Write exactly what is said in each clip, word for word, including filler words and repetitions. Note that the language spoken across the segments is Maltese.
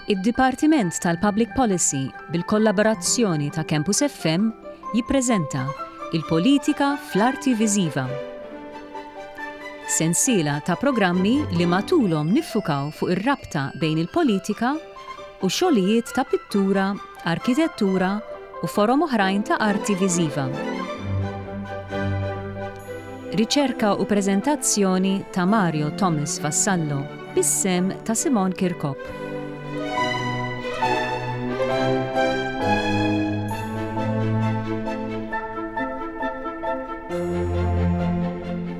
Id-Dipartiment tal-Public Policy bil-kollaborazzjoni ta' Campus F M jippreżenta Il-Politika fl-Arti Viżiva. Sensiela ta' programmi li matulhom niffukaw fuq ir-rabta bejn il-politika u xogħlijiet ta' pittura, arkitettura u forom oħrajn ta' arti viżiva. Riċerka u preżentazzjoni ta' Mario Thomas Vassallo, bis-sehem ta' Simon Kirkop.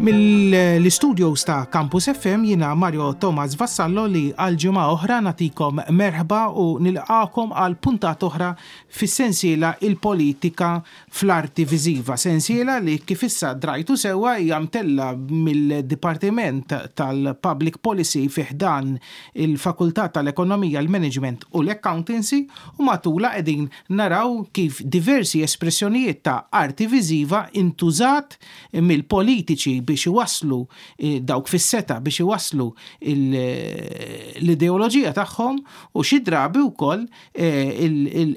Mill-studios ta' Campus F M jiena Mario Thomas Vassallo li għal ġimgħa oħra nagħtikom merħba u nilqakom għal puntat oħra fis-sensiela Il-Politika fl-Arti Viżiva. Sensiela li, kif issa drajtu sewwa, hija mtella mill-Dipartiment tal-Public Policy fi ħdan il-Fakultà tal-Ekonomija, l-Management u l-Accountancy u matula qegħdin naraw kif diversi espressjonijiet ta' arti viżiva intużat mill-politiċi biex iwasslu eh, dawk fis-setgħa biex iwasslu l-ideoloġija tagħhom u xi drabi wkoll eh,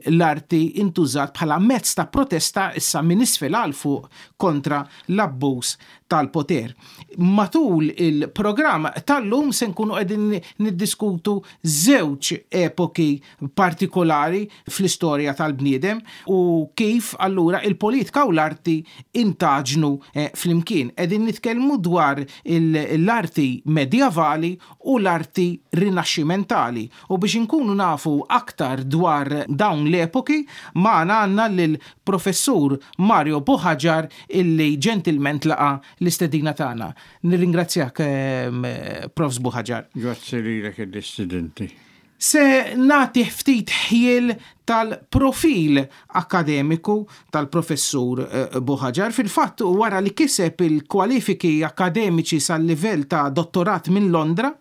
l-arti intużat bħala mezz ta' protesta, issa minn isfel għal fuq, kontra l-abbuż tal-poter. Matul il-programm tal-lum se nkunu qegħdin niddiskutu żewġ epoki partikolari fl-istorja tal-bniedem u kif allura il-politika u l-arti intaġnu eh, flimkien. Qegħdin nitkellmu dwar l-arti medjavali u l-arti rinaxximentali. U biex inkunu nafu aktar dwar dawn l-epoki, magħna għandna lill-professur Mario Buhagiar, illi ġentilment laqa l-istedina tagħna. Nirringrazzjak, eh, Profs Buhagiar. Grazzi lilek l-istudenti. Se nagħti ftit ħjiel tal-profil akademiku tal-professur eh, Buhagiar. Fil-fatt, wara li kiseb il-kwalifiki akademiċi sal-livell ta' dottorat minn Londra,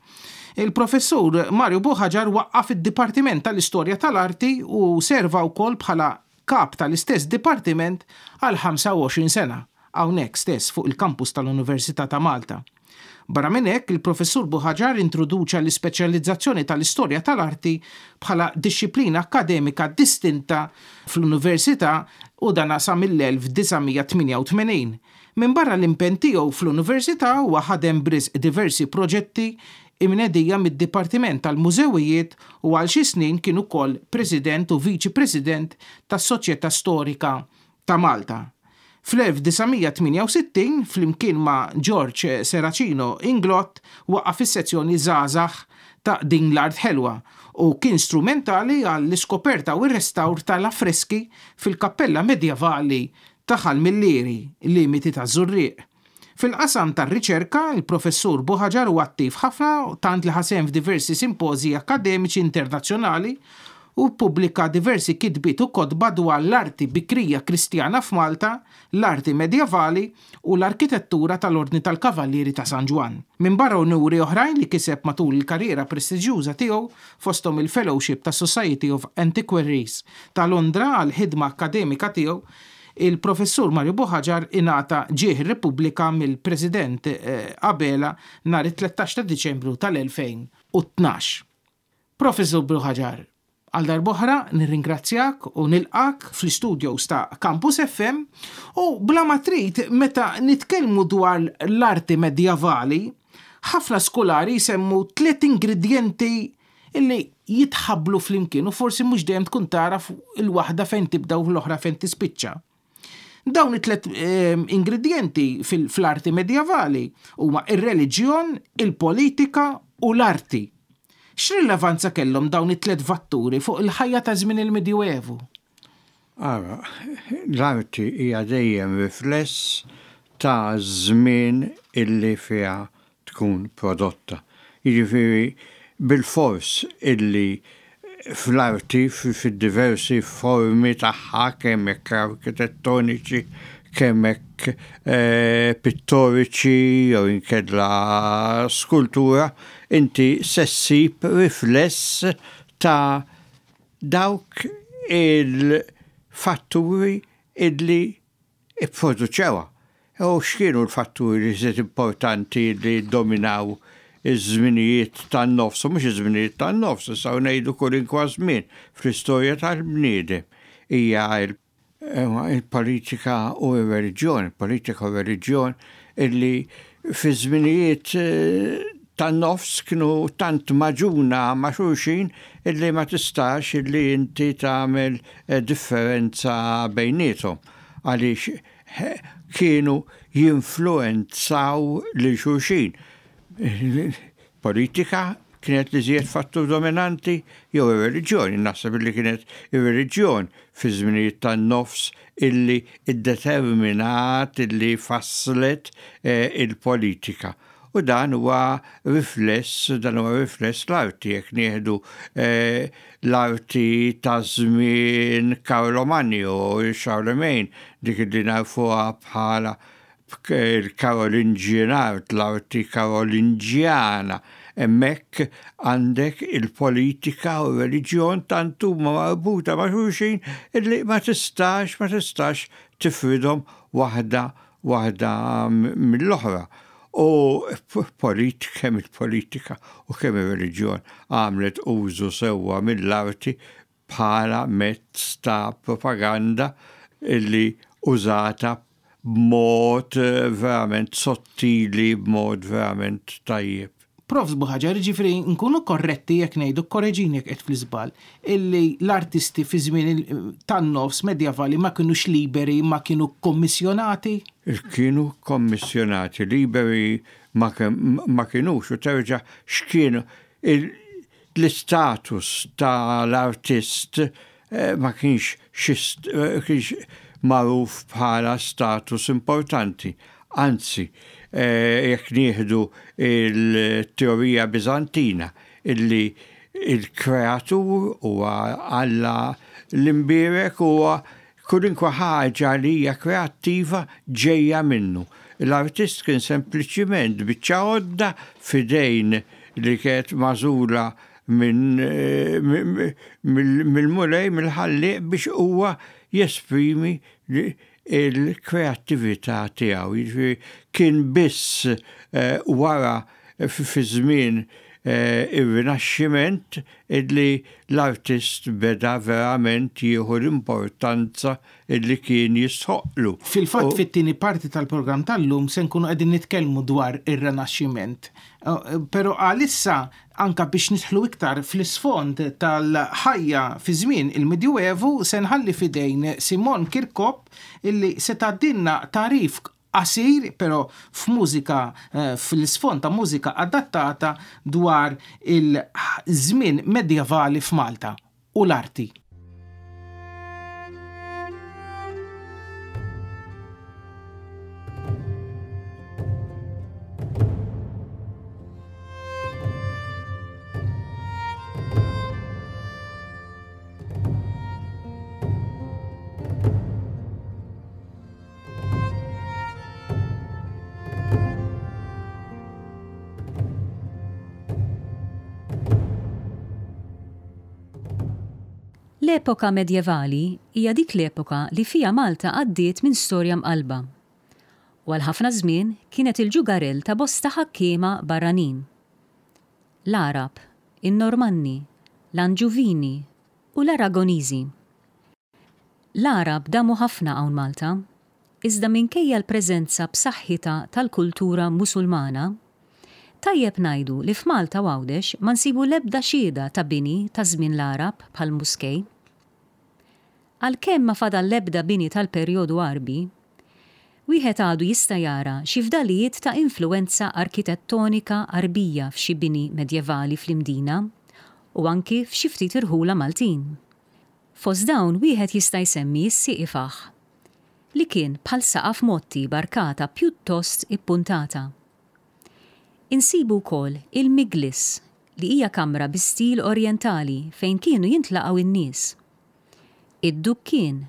il-professur Mario Buhagiar waqqaf id-Dipartiment tal-Istorja tal-Arti u serva wkoll bħala kap tal-istess dipartiment għal ħamsa u għoxrin sena, hawnhekk stess fuq il-kampus tal-Università ta' Malta. Barra minn hekk, il-professur Buhagiar introduċa l-ispeċjalizzazzjoni tal-istorja tal-arti bħala dixxiplina akademika distinta fl-Università u dana sa mill-elf disa' mija tmienja u tmenin. Minn barra l-impenn tiegħu fl-Università, huwa ħadem b'risq diversi proġetti imnedija mid-Dipartiment tal-Mużewijiet u għal xi snin kien ukoll President u Viċi President tas-Soċjetà Storika ta' Malta. Fl-elf disa' mija tmienja u sittin, flimkien ma' George Serracino Inglott, waqqaf is-sezzjoni Żgħażagħ ta' Din l-Art Ħelwa u kien strumentali għall-iskoperta u r-restawr tal-affreski fil-kappella medjavali ta' Ħal Millieri, limiti ta' Żurrieq. Fil-qasam tar-riċerka, il-professur Buhagiar huwa attiv ħafna, tant li ħa sehem f'diversi simpożji akademiċi internazzjonali u pubblika diversi kitbiet u kotba dwar l-arti bikrija Kristjana f'Malta, l-arti medjavali u l-arkitettura tal-Ordni tal-Kavallieri ta' San Ġwann. Minn barra unuri oħrajn li kiseb matul il-karriera prestiġjuża tiegħu, fosthom il-Fellowship ta' Society of Antiquaries ta' Londra għal ħidma akademika tiegħu, il-professur Mario Buhagiar ingħata Ġieħ Repubblika mill-President eh, Abela nhar it-tlettax ta' Diċembru tal-elfejn u tnax. Professur Buhagiar, għal darb'oħra nirringrazzjak u nilqak fl-studios ta' Campus F M u bla ma trid, meta nitkellmu dwar l-arti medjavali, ħafna skolari jsemmu tliet ingredienti illi jitħablu flimkien u forsi mhux dejjem tkun tara il-waħda fejn tibda u l-oħra fejn tispiċċa. Dawn it-tlet eh, ingredienti fil-arti medjavali huma ir-reliġjon, il-politika u l-arti. X'rilevanza kellhom dawn it-tlet fatturi fuq il-ħajja ta' żmien il-Medjuevu? Ara, l-arti hija dejjem rifless ta' żmien illi fiha tkun prodotta. Jiġifieri bil-fors illi fl-arti fid-diversi formi tagħha, kemm hekk arkitettoniċi, kemm hekk eh, pittoriċi jew inkella skultura, inti se ssib rifless ta' dawk il-fatturi illi ipproduċewha. U x'kienu l-fatturi li żied importanti li dominaw iż-żminijiet tan-nofs, u mhux iż-żminijiet tan-nofs, issa ngħidu kulinkwa żmien fl-istorja tal-bniedem hija il-politika u r-reliġjon, il-politika u r-reliġjon illi fi żminijiet tan-nofs kienu tant magħġuna ma' xulxin illi ma tistax illi inti tagħmel differenza bejniethom għaliex kienu jinfluenzaw lil xulxin. Politika kienet l-iżjed fattur dominanti jew ir-reliġjon. Naħseb illi kienet ir-reliġjon fi żminijiet tan-nofs illi iddeterminat illi fasslet il-politika. U dan huwa rifless, dan huwa rifless l-arti, jekk nieħdu l-arti ta' żmien Karlo Magno u Charlemagne, dik li nafuha bħala il-Carolingian art, l-arti Karolinġjana. Hemmhekk għandek il-politika u r-reliġjon tant huma marbuta ma' xulxin illi ma tistax, ma tistax tifridhom waħda waħda mill-oħra. U kemm il-politika u kemm ir-reliġjon għamlet użu sewwa mill-arti bħala mezz ta' propaganda illi użata b'mod verament sottili, b'mod verament tajjeb. Profs Buhaġar, ġifieri nkunu korretti jekk ngħidu, korreġini jekk qed fl-iżball, illi l-artisti fi żmien tan-nofs medjevali ma kinux liberi, ma kienu kommissjonati? Kienu kommissjonati, liberi ma kinux, u terġa' x'kienu l-istatus tal-artist ma kienx kienx magħruf bħala status importanti. Anzi, jekk nieħdu il-teorija Bizantina illi il-kreatur huwa Alla l-imbierek huwa kulinkwa ħaġa li hija kreattiva ġejja minnu. L-artist kien sempliċiment biċċa għodda f'idejn li kienet magħżula minn mill-Mulej, mill-Ħallieq biex huwa jesprimi il-kreattività tiegħu. Jiġifieri kien biss wara fi żmien ir-Rinaxximent illi l-artist beda verament jieħu l-importanza illi kien jistħoqlu. Fil-fatt fit-tieni parti tal-programm tal-lum se nkunu qegħdin nitkellmu dwar ir-Rinaxximent. Però għalissa anka biex nidħlu iktar fl-isfond tal-ħajja fi żmien il-Medjuevu se nħalli f'idejn Simon Kirkop illi se tgħaddilna tagħrif qasir, però f'mużika, fl-isfond ta' mużika adattata dwar il-żmien medjevali f'Malta u l-arti. L-epoka medjevali hija dik l-epoka li fija Malta għaddiet minn storja mqalba. U għal ħafna żmien kienet il-ġugarell ta' bosta ħakkiema barranin. L-Arab, in-Normanni, l-Anġuvini u l-Aragoniżi. L-Arab damu ħafna hawn Malta, iżda minkejja l-preżenza b'saħħitha tal-kultura Musulmana, tajjeb ngħidu li f'Malta u Għawdex ma nsibu l-ebda xhieda ta' bini ta' żmien l-Arab bħal muskej. Għalkemm ma fadal l-ebda bini tal-perjodu Għarbi, wieħed għadu jista' jara xi fdalijiet ta' influenza arkitettonika Għarbija f'xi bini medjevali fl-Imdina u anki f'xi ftit irħula Maltin. Fost dawn wieħed jista' jsemmi s-Sieqifaħ, li kien bħal saqaf motti barkata pjuttost ippuntata. Insibu wkoll il-Miglis, li hija kamra bi stil orjentali fejn kienu jintlaqgħu in-nies. Id-Dukkien,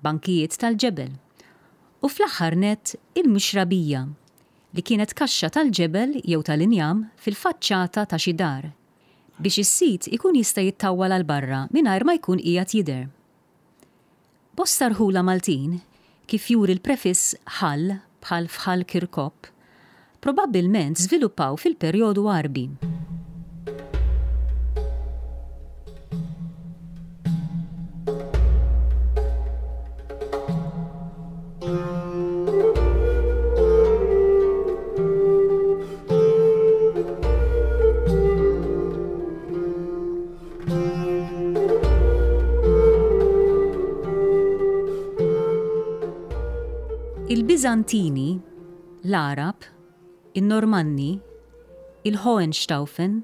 bankijiet tal-ġebel, u fl-aħħar nett il-Mixrabija, li kienet kaxxa tal-ġebel jew tal-injam fil-faċċata ta' xi dar, biex is-sit ikun jista' jittawwal għal barra mingħajr ma jkun qiegħed jidher. Bosta rħula Maltin, kif juri l-prefiss ħal bħal f'Ħal Kirkop, probabbilment żviluppaw fil-perjodu Għarbi. Il-Biżantini, l-Għarab, in-Normanni, il-Hohenstaufen,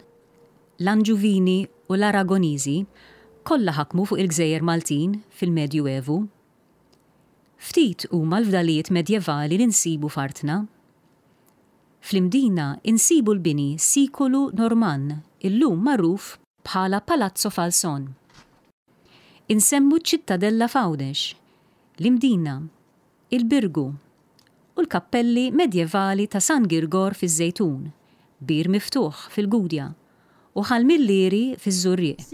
l-Anġuvini u l-Aragoniżi kollha ħakmu fuq il-Gżejjer Maltin fil-Medju Evu. Ftit huma l-fdalijiet medjevali li nsibu f'artna. Fl-Imdina insibu l-bini Sikulu Normann, illum magħruf bħala Palazzo Falson. Insemmu ċ-Ċittadella f'Għawdex, l-Imdina, il-Birgu u l-kappelli medjevali ta' San Girgor fiż-Żejtun, Bir Miftuħ fil-Gudja u Ħal Millieri fiż-Żurrieq.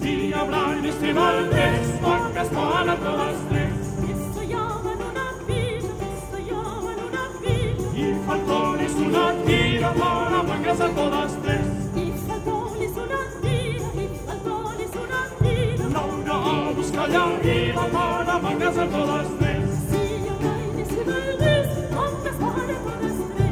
Si hablan este valdés, vacas para todas tres. Esto llaman una villa, esto llaman una villa. Y faltones una tira para mangas a todas tres. Y faltones una tira, y faltones una tira. Laura a buscar la arriba para mangas a todas tres. Si hablan este valdés, vacas para todas tres.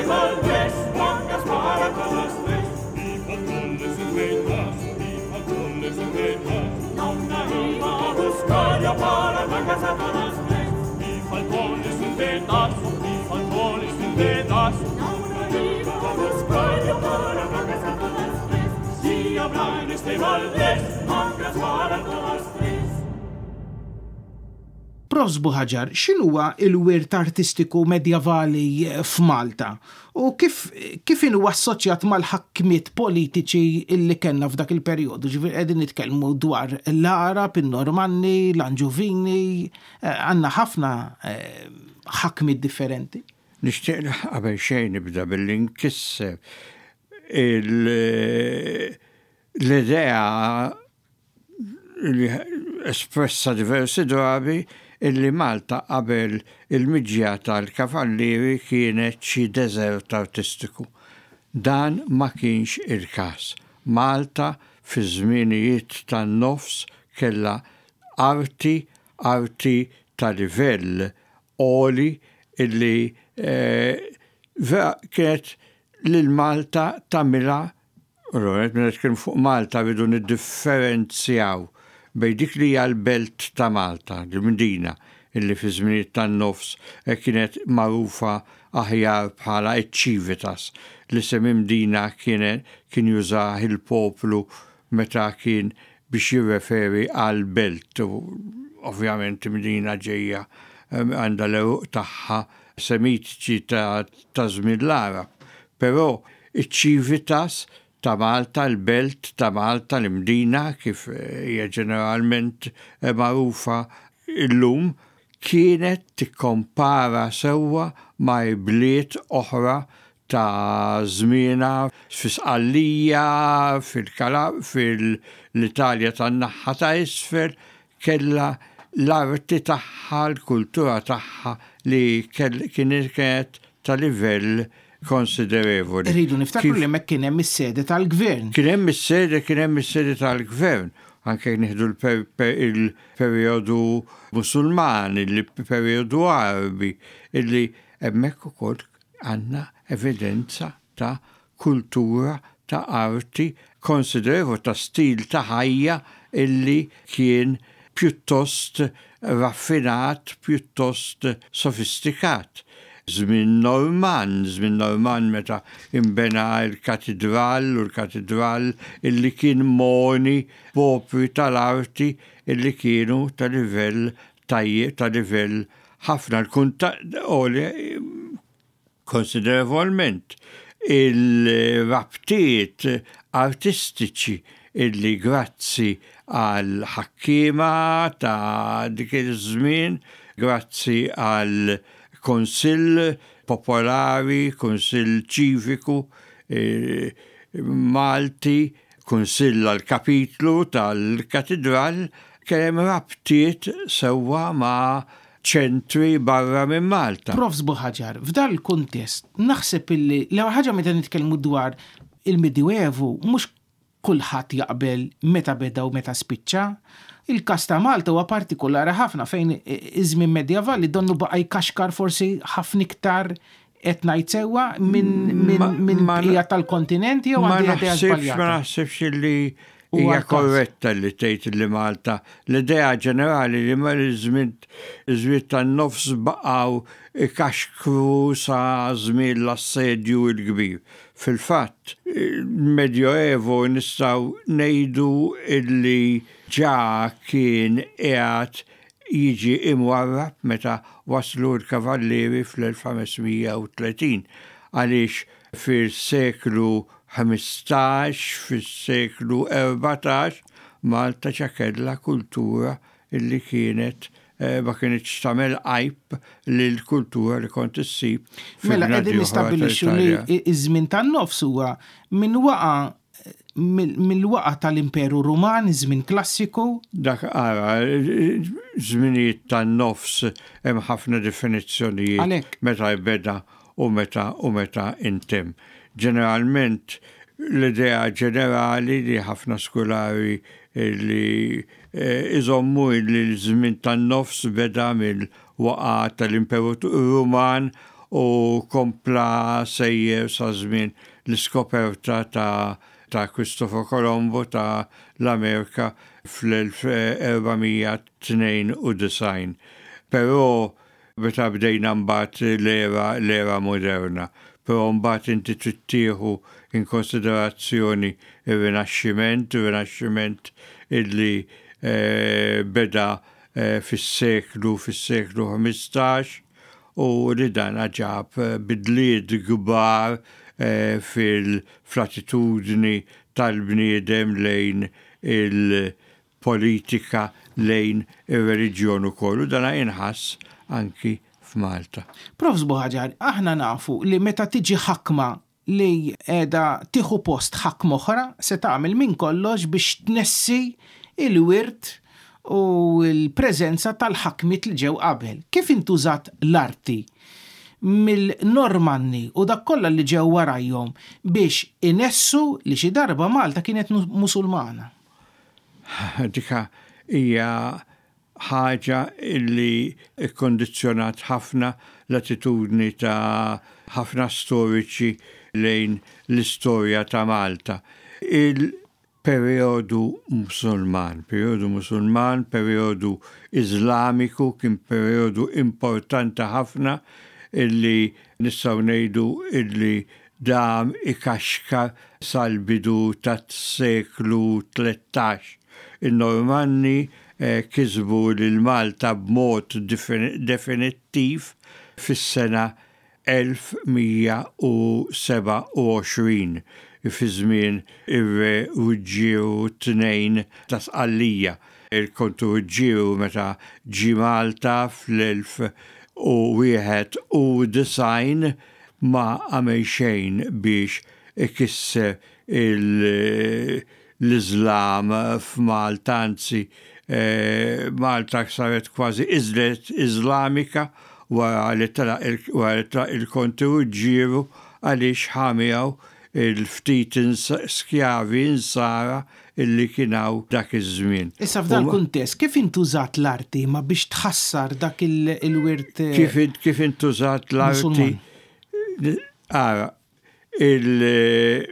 Valdés, mangas para todas tres. Y faltones un pedazo, y faltones un pedazo. La una iba a buscar ya para mangas a todas tres. Y faltones un pedazo, y faltones un pedazo. La una iba a buscar ya para mangas a todas tres. Si habrá en este Valdés, mangas para todas tres. Profs Buhaġar, x'inhuwa il-wirt artistiku medjevali f'Malta u kif kif inhu assoċjat mal-ħakmiet politiċi illi kellna f'dak il-perjodu? Ġifieri qegħdin nitkellmu dwar l-Għarab, in-Normanni, l-Anġuvini, għandna ħafna ħakmiet differenti. Nixtieq qabel xejn nibda billi nkisser l-idea li espressa diversi drabi illi Malta qabel il-miġja tal-kavallieri kienet xi deżert artistiku. Dan ma kienx il-każ. Malta fi żminijiet tan-nofs kellha arti, arti ta' livell għoli illi eh, kienet lil Malta tagħmilha. Allora, meta nitkellmu fuq Malta rridu niddifferenzjaw bejn dik li hija l-belt ta' Malta, l-Mdina, illi fi żminijiet tan-nofs kienet magħrufa aħjar bħala ċ-Civitas. L-isem Imdina kienet kien jużah il-poplu meta kien biex jirreferi għal belt. U ovvjament Imdina ġejja għandha l-għeruq tagħha semitiċi ta' żmien l-Għarab. Però iċ-Civitas ta' Malta, l-belt ta' Malta, l-Imdina, kif hija ġeneralment magħrufa illum, kienet tikkompara sewwa ma' bliet oħra ta' żmienha fi Sqallija, fil-Italja tan-naħa ta' isfel, kellha l-arti tagħha, l-kultura tagħha li kienet ta' livell konsiderevoli. Rridu niftakru li hemmhekk kien hemm is-sede tal-gvern. Kien hemm is-sede, kien hemm is-sede tal-gvern. Anke nieħdu l-perjodu Musulman, il-perjodu Għarbi, illi hemmhekk ukoll għandna evidenza ta' kultura, ta' arti konsiderevoli, ta' stil ta' ħajja illi kien pjuttost raffinat, pjuttost sofistikat. żmien Norman, żmien Norman meta imbena l-katedral u l-katedral illi kien moni b'opri tal-arti illi kienu ta' livell tajjeb, ta' livell ħafna l-kuntatt konsiderevolment il-rabtiet artistiċi illi grazzi għal ħakkiema ta' dik iż-żmien, grazzi għal Kunsill Popolari, Kunsill Ċiviku eh, Malti, Kunsill għal Kapitlu tal-Katedral, kien hemm rabtiet sewwa ma' ċentri barra minn Malta. Profs Buhaġar, f'dal kuntest naħseb illi l ħaġa meta nitkellmu dwar il-Medjuevu mhux kulħadd jaqbel meta beda u meta spiċċa. Il-każ ta' Malta huwa partikolari ħafna fejn iż-żmien medjevali donnu baqa' jkaxkar forsi ħafna iktar qed ngħid sewwa minn minn bqija tal-kontinent jew għandi idea żbaljata. Ma naħsibx li hija korretta li tgħid li Malta l-idea ġenerali li ma l-żmien iż-żmien tan-nofs baqgħu ikaxkru sa żmien l-assedju l-kbir. Fil-fatt, il-Medjoevo nistgħu ngħidu illi ġa kien qiegħed jiġi imwarrab meta waslu l-kavallieri fl-elf ħames mija u tletin, għaliex fil-seklu ħmistax, fis-seklu erbatax, Malta ġa kellha kultura illi kienet ma kienx tagħmel għajb lil kultura li kont issib. Mela qegħdin nistabbilixxu li iż-żmien tan-nofs huwa minn waqa mill-waqa tal-Imperu Ruman, iż-żmien klassiku. Dak ara, żminijiet tan-nofs hemm ħafna definizzjonijiet meta jbeda u meta u meta intemm. Ġeneralment l-idea ġenerali li ħafna skolari li iżommu li l-żmien tan-nofs beda mill-waqa tal-Imperu Ruman u kompla sejjer sa żmien l-iskoperta ta' ta' Cristoforo Colombo ta' l-Amerika fl-elf erba' mija tnejn u disgħin. Però meta bdejna mbagħad l-era l-era moderna, però mbagħad inti trid tieħu in konsiderazzjoni ir-Rinaxximent, ir-Rinaxximent illi beda fis-seklu fis-seklu ħmistax u li dan ġab bidliet kbar fil-fl-attitudni tal-bniedem lejn il-politika, lejn ir-reliġjon ukoll, u dan jinħass anki f'Malta. Profs Buhaġar, aħna nafu li meta tiġi ħakma li qiegħda tieħu post ħakma oħra se tagħmel minn kollox biex tnessi il-wirt u l-preżenza tal-ħakmiet li ġew qabel. Kif intużat l-arti mill-Normanni u dak kollha li ġew warajhom biex inessu li xi darba Malta kienet Musulmana? Dika hija ħaġa illi kkondizzjonat ħafna l-attitudni ta' ħafna storiċi lejn l-istorja ta' Malta. Il-perjodu Musulman, perjodu Musulman, perjodu Iżlamiku kien perjodu importanti ħafna illi nistgħu ngħidu illi dam ikaxkar sal-bidu tas-seklu tlettax. Il-Normanni kisbu lil Malta b'mod definittiv fis-sena elf mija u seba' u għoxrin fi żmien ir-Re Ruġġieru tnejn ta' Sqallija. Il-Kontu Ruġġieru meta ġie Malta fl-elf u wieħed u disgħin ma għamel xejn biex ikisser l-Iżlam f'Malta, anzi Malta saret kważi iżlet Iżlamika wara li telaq il-Konti Ruġġieru għaliex ħamijaw il-ftit skjavi insara illi kienaw dak iż-żmien. Issa f'dan kuntest, kif intużat l-arti ma biex tħassar dak il-wirt? Kif intużat l-arti? Ara,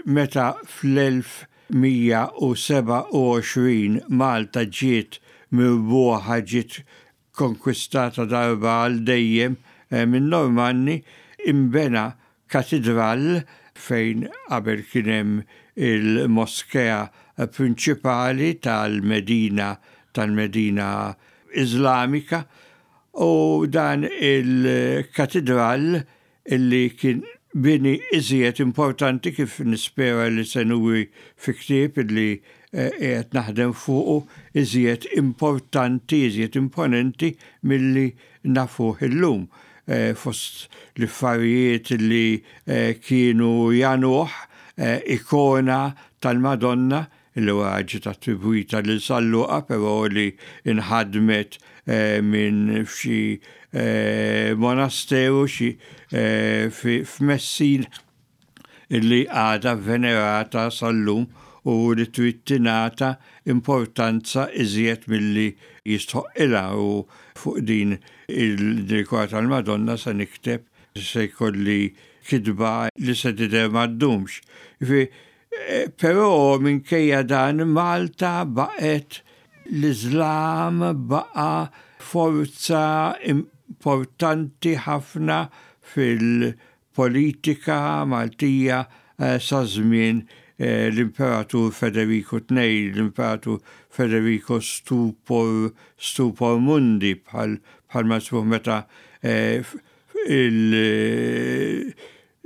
meta fl-elf mija u seba' u għoxrin Malta ġiet mirbuħa, ġiet konkwistata darba għal dejjem minn Normanni, Imbena katedral fejn qabel kien hemm il-moskea prinċipali tal-Medina tal-Medina Islamika, u dan il-katedral illi kien bini iżjed importanti, kif nispera li se nuri fi ktieb illi eh, qiegħed naħdem fuqu, iżjed importanti, iżjed imponenti milli nafuh illum. Eh, fost l-affarijiet li eh, kienu jagħnuh, ikona tal-Madonna li wara ġiet attribwita lil San Luqa, però li inħadmet minn f'xi monasteru xi f'Messina, illi għadha venerata sal-lum u li trid tingħata importanza iżjed milli jistħoqqilha. U fuq din il-ikona tal-Madonna se nikteb, se jkolli kitba li se tidher ma ddumx. Però minkejja dan, Malta baqgħet, l-Islam baqa' forza importanti ħafna fil-politika Maltija eh, sa żmien eh, l-Imperatur Federico tnejn, l-Imperatur Federico Stupor, Stupor Mundi, bħal bħal ma meta eh,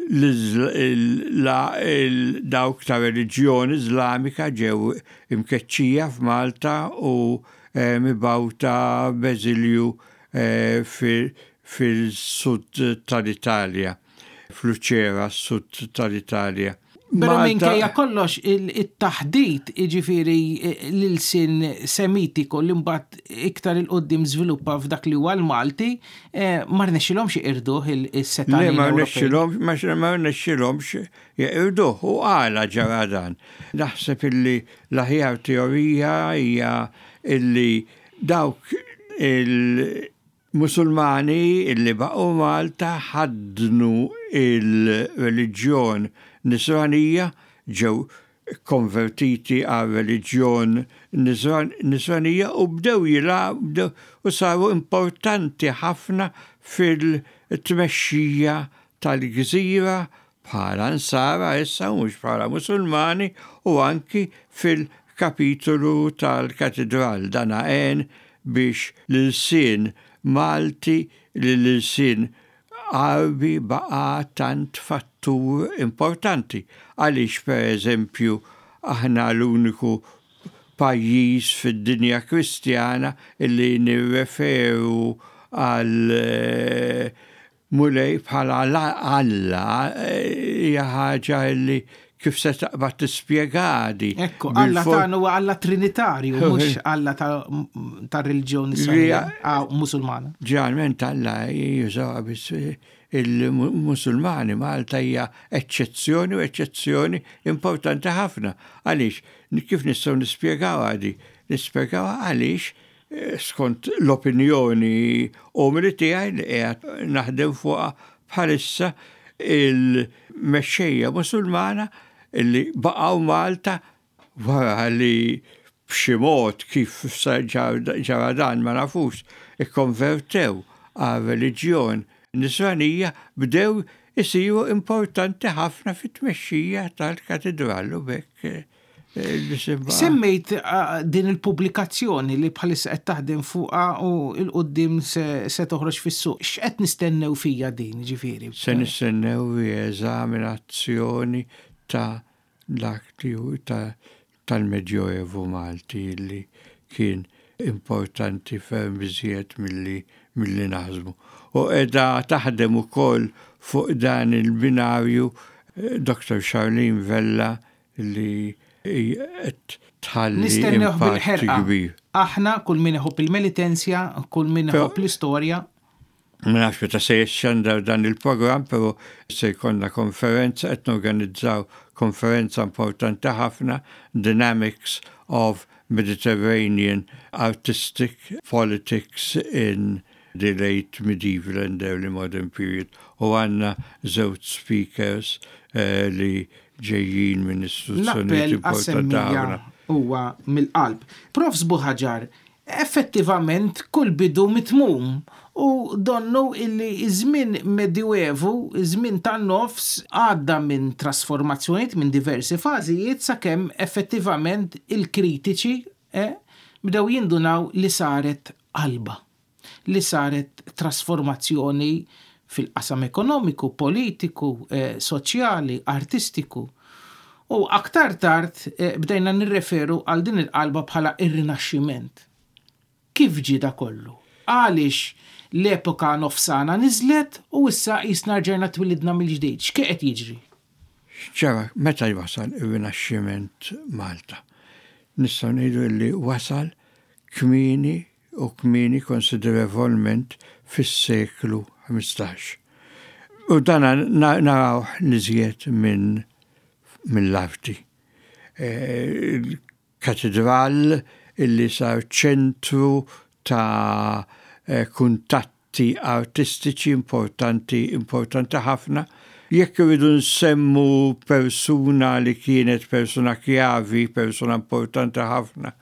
il dawk ta' reliġjoni Islamika ġew imkeċċija f'Malta u mibgħuta b'eżilju fil-sud tal-Italja, f'Luċera, sud tal-Italja. Però minkejja kollox, it-taħdit, iġifiri l-ilsien Semitiku li mbagħad iktar 'il quddiem żviluppa f'dak li huwa l-Malti, ma rnexxilhomx jeqirduh is-setgħanin. Le, ma rnexxilhomx, ma rnexxilhomx jeqirduh. U għala ġara dan? Naħseb illi l-aħjar teorija hija illi dawk il- Musulmani illi baqgħu Malta ħadnu il-reliġjon Nisranija, ġew konvertiti għal reliġjon Nisranija u bdew jilagħbu u saru importanti ħafna fil-tmexxija tal-gżira bħala Nsara issa, mhux bħala Musulmani, u anki fil-kapitolu tal-katedral. Dan għen biex l-ilsien Malti, l-ilsien Għarbi baqa tant fattur importanti. Għaliex, per eżempju, aħna l-uniku pajjiż fid-dinja Kristjana illi nirreferu għal eh, Mulej bħala Alla? Hija ħaġa illi kif se taqbad tispjega di? Ekku, Alla tagħna huwa Alla Trinitarju, mhux Alla ta' reliġjoni Musulmana. Ġeneralment Alla jużaw biss il-Musulmani. Malta hija eċċezzjoni, u eċċezzjoni importanti ħafna. Għaliex, kif nistgħu nispjegaw għadi? Nispjegaw għaliex, eh, skont l-opinjoni umili tiegħi li qiegħed naħdem fuqha bħalissa, il-mexxejja Musulmana illi baqgħu Malta wara li b'xi mod, kif ġara dan ma nafux, ikkonvertew għal reliġjon Nisranija, bdew isiru importanti ħafna fit-tmexxija tal-katedral u b'hekk eh, Semmejt ah, din il-pubblikazzjoni li bħalissa qed taħdem fuqha u 'l quddiem se toħroġ fis-suq. X'qed nistennew fija din, ġifieri? Se nistennew rieżaminazzjoni ta' dak li ta' tal-Medjoevu Malti, li kien importanti ferm iżjed milli milli naħsbu. U qiegħda taħdem ukoll fuq dan il-binarju eh, Doktor Charlene Vella, li qed tħalli Nistennew impatt bil-ħerqa. kbir. Aħna, kull min iħobb il-Melitensja, kull min iħobb l-istorja. Ma nafx meta se jixxandar dan il-programm, però se jkollna konferenza, qed norganizzaw konferenza importanti ħafna, Dynamics of Mediterranean Artistic Politics in the Late Medieval and Early Modern Period. U għandna żewġ speakers eh, li ġejjin minn istituzzjonijiet L-appell importanti għas-semmija ħafna. Huwa mill-qalb. Profs Buhagiar, effettivament kull bidu mitmum. U donnu illi iż-żmien Medjuevu, iż-żmien tan-nofs, għadda minn trasformazzjonijiet, minn diversi fażijiet, sakemm effettivament il-kritiċi eh, bdew jindunaw li saret qalba, li saret trasformazzjoni fil-qasam ekonomiku, politiku, eh, soċjali, artistiku. U aktar tard eh, bdejna nirreferu għal din il-qalba bħala ir-Rinaxximent. Kif ġie da kollu? Għaliex l-epoka nofsana niżlet u issa jisna rġajna twilidna mill-ġdid? X'qed jiġri? Ġara, meta wasal ir-Rinaxximent Malta? Nistgħu ngħidu li wasal kmieni u kmieni konsiderevolment fis-seklu ħmistax. U dan naraw l-iżjed minn mill-arti. Katedral illi sar ċentru ta' kuntatti artistiċi importanti, importanti ħafna. Jekk irridu nsemmu persuna li kienet persuna kjavi, persuna importanti ħafna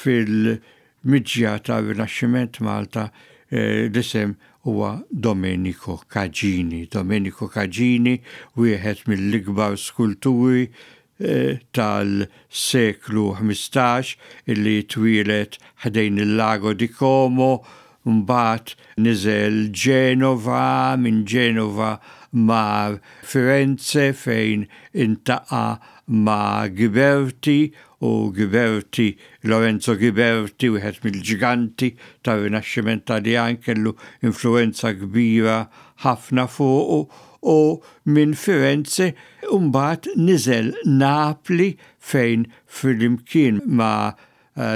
fil-miġja ta' Rinaxximent Malta, l-isem huwa Domenico Cagini. Domenico Cagini, wieħed mill-ikbar skulturi tal-seklu ħmistax, illi twieled ħdejn il-Lago di Como, mbagħad niżel Ġenova, minn Ġenova mar Firenze fejn iltaqa' ma' Ghiberti, u Ghiberti, Lorenzo Ghiberti, wieħed mill-ġiganti tar-Rinaxximent Taljan, kellu influenza kbira ħafna fuqu, u minn Firenze mbagħad niżel Napli fejn flimkien ma'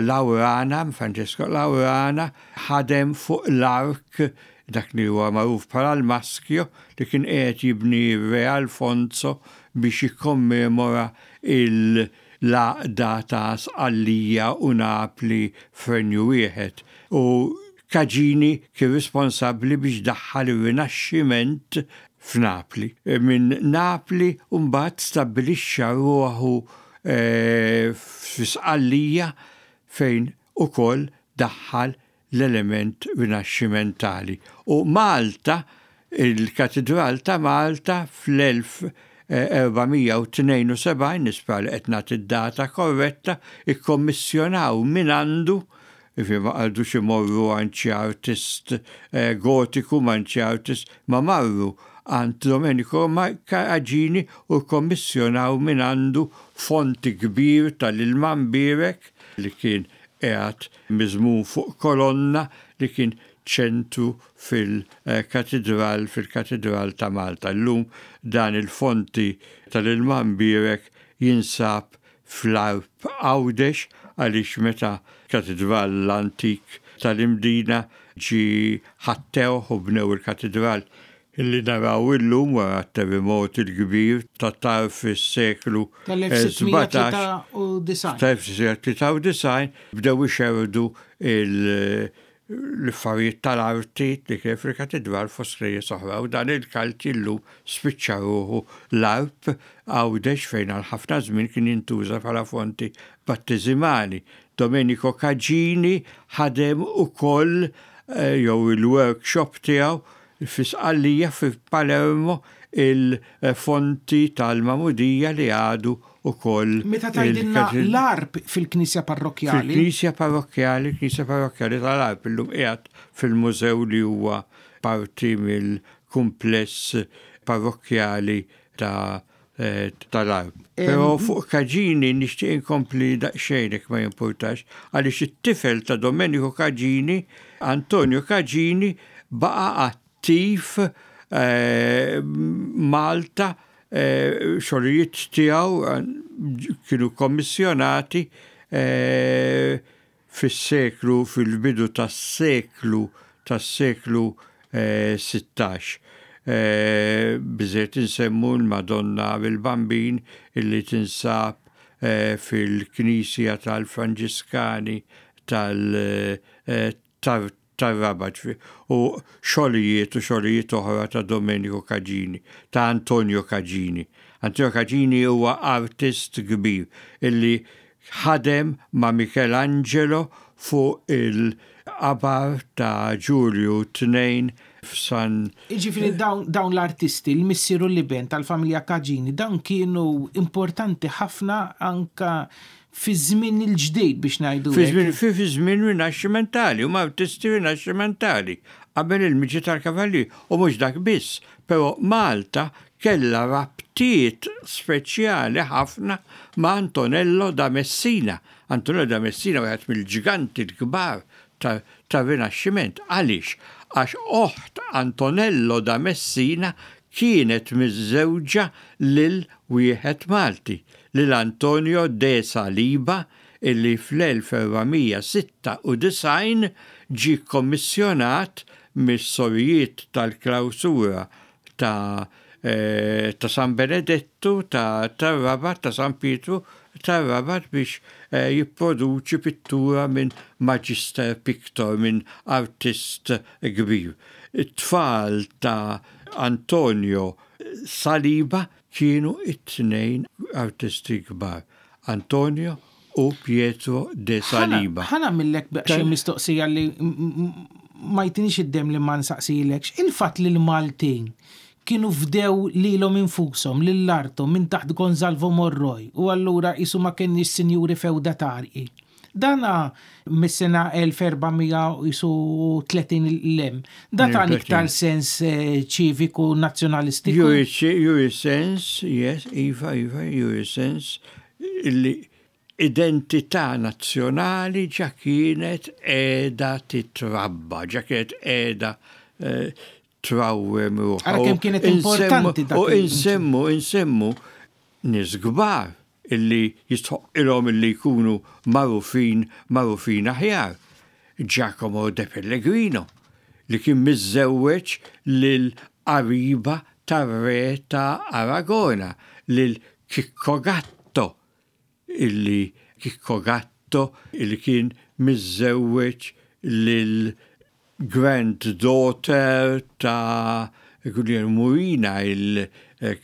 Laurana, Francesco Laurana, ħadem fuq l-ark, dak li huwa magħruf bħala l-Maschio, li kien qiegħed jibni Re Alfonso biex jikkommemora l-għaqda ta' Sqallija u Napli f'renju wieħed. U Cagini kien responsabbli biex daħħal ir-Rinaxximent f'Napli. Minn Napli mbagħad stabbilixxa ruħu f'Sqallija fejn ukoll daħħal l-element rinaxximentali. U Malta, il-Katedral ta' Malta fl-elf erba' mija u tnejn u sebgħin, nispera li qed nagħti d-data korretta, ikkommissjonaw minn għandu, jiġifieri ma qagħdux imorru għand xi artist gotiku, ma għand xi artist, ma marru għand Domenico Cagini u kkommissjonaw minn għandu fonti kbir tal-ilma mbierek li kien qiegħed miżmum fuq kolonna li kien ċentru fil-katedral, fil-katedral ta' Malta. Illum dan il-fonti tal-ilma mbierek jinsab fl-Għarb Għawdex, għaliex meta katedral l-antik tal-Imdina ġi ħattewh u bnew il-katedral illi naraw illum wara t-terremot il-kbir ta' tarf is-seklu Tal-elf sitt mija u disgħin. Tal-elf sitt mija tlieta u disgħin, bdew ixerrdu l-affarijiet tal-arti li kien fil-katedral fost knejjes oħra, u dan il-kalċi llum spiċċa ruħu l-Għarb Għawdex fejn għal ħafna żmien kien jintuża bħala fonti batteżimali. Domenico Cagini ħadem ukoll jew il-workshop tiegħu fi Sqallija, fi Palermo, il-fonti tal-Magħmudija li għadu ukoll. Meta tgħidilna l-Għarb, fil-Knisja Parrokkjali? Fil-Knisja Parrokkjali, Knisja Parrokkjali tal-Għarb, illum qiegħed fil-mużew li huwa parti mill-kumpless parrokkjali ta' tal-Għarb. Però fuq Cagini nixtieq inkompli daqsxejn jekk ma jimpurtax, għaliex it-tifel ta' Domenico Cagini, Antonio Cagini, baqa' attiv Malta, xogħlijiet tiegħu kienu kommissjonati fis-seklu, fil-bidu tas-seklu tas-seklu sittax. Biżżejjed insemmu l-Madonna bil-Bambin illi tinsab fil-Knisja tal-Franġiskani tal-Rabat, u xogħlijiet u xogħlijiet oħra ta' Domenico Cagini, ta' Antonio Cagini. Antonio Cagini huwa artist kbir illi ħadem ma' Michelangelo fuq il qabar ta' Ġulju tnejn f'San. Jiġifieri dawn, dawn l-artisti, l-missier u l-iben tal-familja Cagini, dawn kienu importanti ħafna anka fi żmien il-ġdid biex ngħidu. Fi żmien fi fi żmien rinaxximentali, huma artisti rinaxximentali qabel il-miġi tal-kavalli u mhux dak biss, però Malta kella rabtiet speċjali ħafna ma' Antonello da Messina. Antonello da Messina wieħed mill-ġiganti l-kbar ta' ta' Rinaxximent. Għaliex? Għax oħt Antonello da Messina kienet miżżewġa lil wieħed Malti, lil Antonio de Saliba, illi fl-elf erba' mija sitta u disgħin ġi kommissjonat mis-sorijiet tal-klawsura ta' eh, ta' San Benedettu, ta' tar-Rabat, ta' San Pietru, tar-Rabat biex eh, jipproduċi pittura minn Magister Pictor, minn artist kbir. It-tfal ta' Antonio Saliba kienu it-tnejn artisti kbar. Antonio u Pietro de Saliba. Ħa nagħmillek xi mistoqsija li ma jtinix id-dem li ma nsaqsilekx. Il-fatt li l-Maltin kienu fdew lilhom infushom lil arthom minn taħt Gonzalvo Morroy u allura qisu ma kienx sinjuri feudatarji. Dana mis-sena elf erba' mija tletin lem. Da ta' iktar sens eh, ċiviku nazzjonalistiku. Juri sens, yes, iva, iva, juri sens illi identità nazzjonali ġa kienet qiegħda titrabba, ġa kienet qiegħda eh, trawwem ruħha. Ara kemm kienet importanti dak. U insemmu, insemmu nies kbar illi jistħoqqilhom illi jkunu magħrufin magħrufin aħjar. Giacomo de Pellegrino, li kien miżżewweġ lil qariba tar-re ta' Aragona, lil Chicco Gatto, illi Chicco Gatto illi kien miżżewweġ lil granddaughter ta' Guglielmo Murina, il-ħakem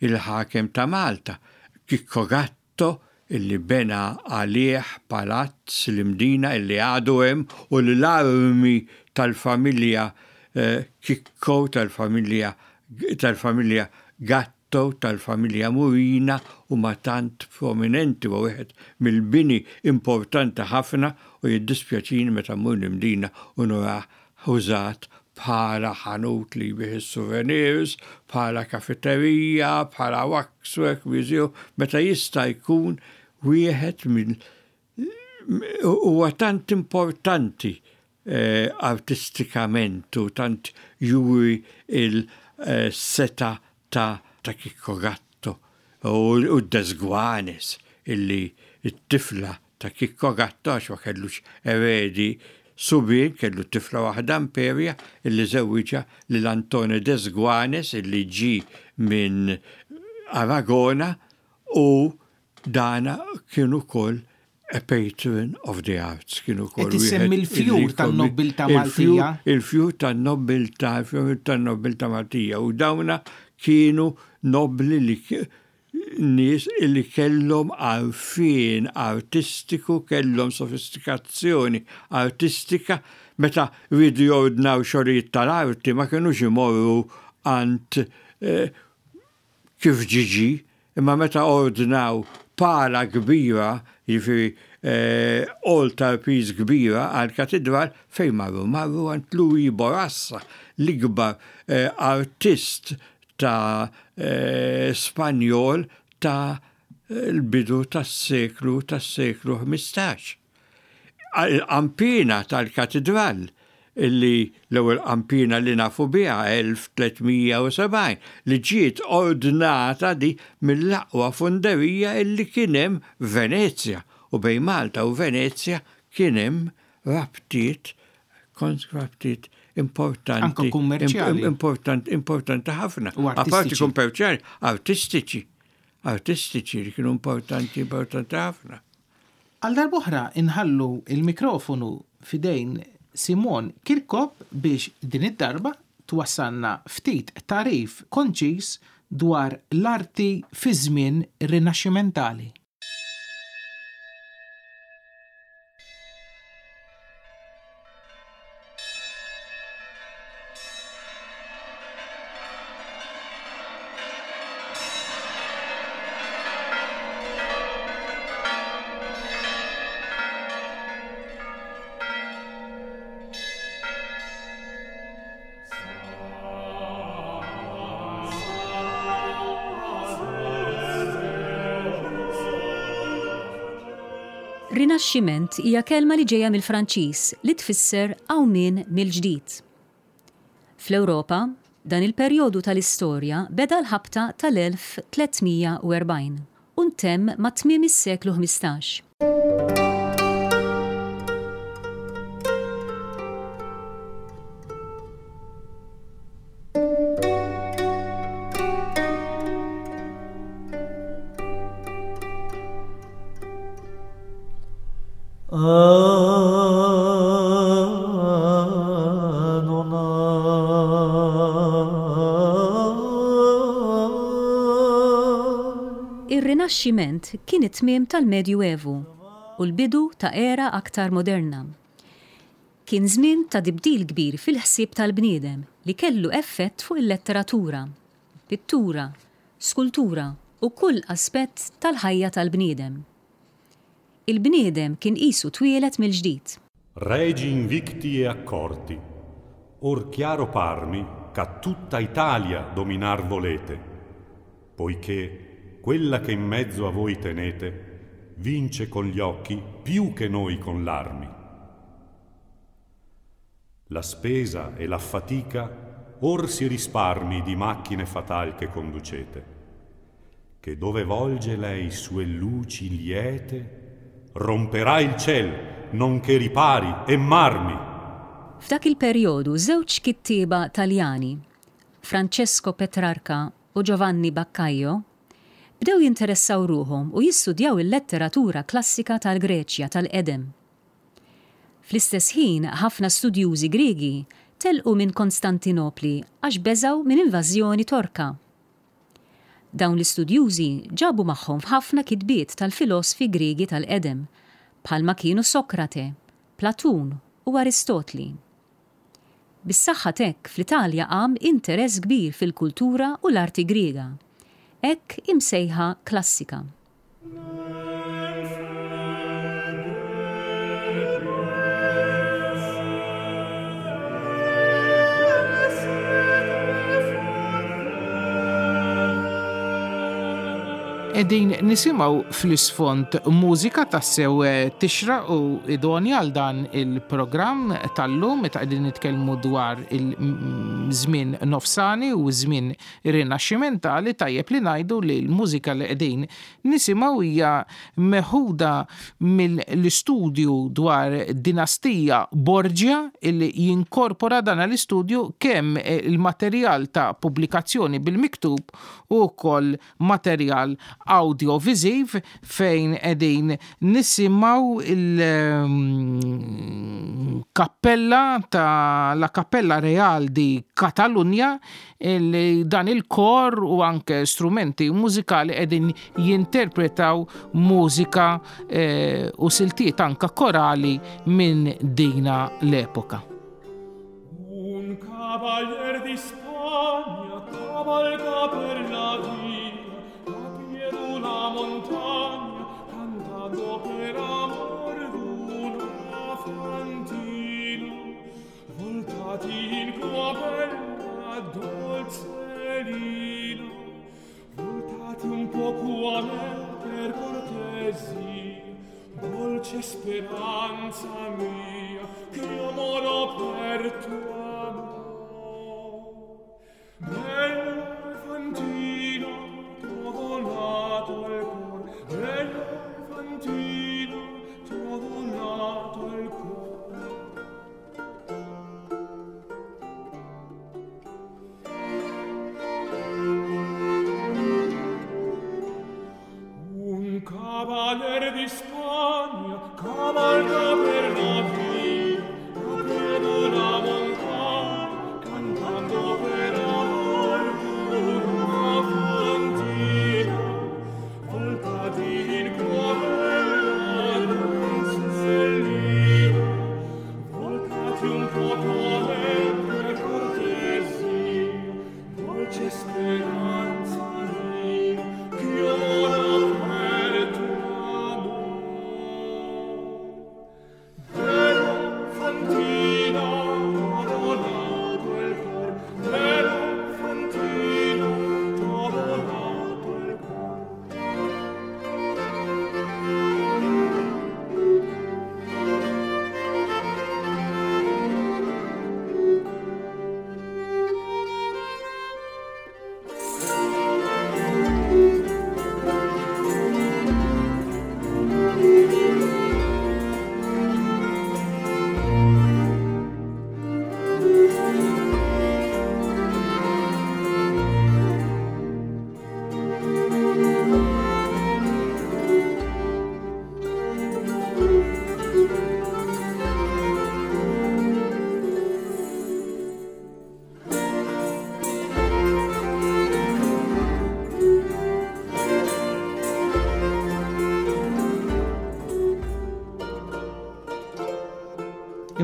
il-ħakem ta' Malta. Chicco Gatto illi bena għalih palazz l-Imdina illi għadu hemm u l-armi tal-familja eh, Chicco, tal-familja tal-familja Gatto, tal-familja Murina u ma tant prominenti u wieħed mill-bini importanti ħafna u jiddispjaċini meta mmur l-Imdina u nurah użat bħala ħanut li jbigħ souvenirs, bħala kafeterija, bħala waxwork museum, meta jista' jkun wieħed mill huwa tant importanti eh, artistikament u tant juri il-seta ta' ta' Chicco Gatto u, u Desguanes illi it-tifla ta' Chicco Gatto, għax ma kellux eredi subien, kellu tifla waħda, Imperia, illi żewwiġha lil Antone Desguanes illi ġi minn Aragona u dana kienu kol a patron of the arts. Kienu kol Qed issemmi l-fjur tan-nobbiltà Maltija. Il-fjur tan-nobbiltà, il-fjur tan-nobbiltà Maltija. U dawna kienu nobli li nies illi kellhom għarfien artistiku, kellhom sofistikazzjoni artistika, meta rridu jordnaw xogħlijiet tal-arti ma kienux imorru għand eh, kif ġiġi, imma meta ordnaw pala kbira, jiġifieri eh, altar piece kbira għal katedral, fejn marru? Marru għand Louis Borassa, l-ikbar eh, artist ta' eh, Spanjol ta' l-bidu tas-seklu tas-seklu ħmistax. Il-qampina tal-katedral, illi l-ewwel qampina li nafu biha elf tliet mija u sebgħin, li ġiet ordnata di mill-aqwa funderija illi kien hemm Venezja, u bejn Malta u Venezja kien hemm rabtiet rabtiet importanti. Anke kummerċjali. Importanti, importanti ħafna. U Apparti artistiċi. kummerċjali, artistiċi. Artistiċi li kienu importanti, importanti ħafna. Għal darb'oħra inħallu il-mikrofonu f'idejn Simon Kirkop biex din id-darba twassalna ftit tagħrif konċis dwar l-arti fi żmien rinaxximentali. Rinaxximent hija kelma li ġejja mill-Franċiż li tfisser qawmien mill-ġdid. Fl-Ewropa, dan il-perjodu tal-istorja beda l-ħabta tal-elf tliet mija u erbgħin u ntemm ma' tmiem is-seklu ħmistax. Ir-Rinaxximent kien it-tmiem tal-Medju Evu u l-bidu ta' era aktar moderna. Kien żmien ta' tibdil kbir fil-ħsieb tal-bniedem li kellu effett fuq il-letteratura, pittura, skultura u kull aspett tal-ħajja tal-bniedem. Il-bniedem kien qisu twieled mill-ġdid. Regi invicti e accorti, or chiaro parmi ca tutta Italia dominar volete, poiché quella che in mezzo a voi tenete vince con gli occhi più che noi con l'armi. La spesa e la fatica or si risparmi di macchine fatal che conducete, che dove volge lei sue luci liete, romperà il ciel, nonché ripari e marmi. F'dak il-perjodu żewġ kittieba Taljani, Francesco Petrarca u Giovanni Boccaccio, bdew jinteressaw ruħhom u jistudjaw il-letteratura klassika tal-Greċja tal-Qedem. Fl-istess ħin, ħafna studjużi Griegi telqu minn Konstantinopli għax beżgħu minn invażjoni Torka. Dawn l-istudjużi ġabu magħhom f'ħafna kitbiet tal-filosfi Griegi tal-Qedem, bħalma kienu Sokrate, Platun u Aristotli. Bis-saħħa t'hekk fl-Italja qam interess kbir fil-kultura u l-arti Griega, hekk imsejħa klassika. Qegħdin nisimgħu fl-isfond mużika tassew tixra u idonja għal dan il-programm tal-lum meta qegħdin nitkellmu dwar il-żmien nofsani u żmien rinaxximentali. Tajjeb li ngħidu li l-mużika li qegħdin nisimgħu hija meħuda mill-istudju dwar dinastija Borgia illi jinkorpora dan l-istudju kemm il-materjal ta' pubblikazzjoni bil-miktub u wkoll materjal audiovisiv fejn qegħdin nisimgħu il-kappella ta' la Cappella Real di Catalunya, li dan il-kor u anke strumenti mużikali qegħdin jinterpretaw mużika, eh, u siltiet anke korali minn dina l-epoka. Un cavalier di Spagna cavalca per la via la montagna, cantando per amor d'una fantina. Voltati in qua bella dolcelina, voltati un poco a me per cortesia, dolce speranza mia, che io moro per tuo amor. Bella fantina, t'ho donato il cuor, bella fantina, t'ho donato il cuor. Un cavaliere di Spagna cavalca per la via, a piedi una montagna,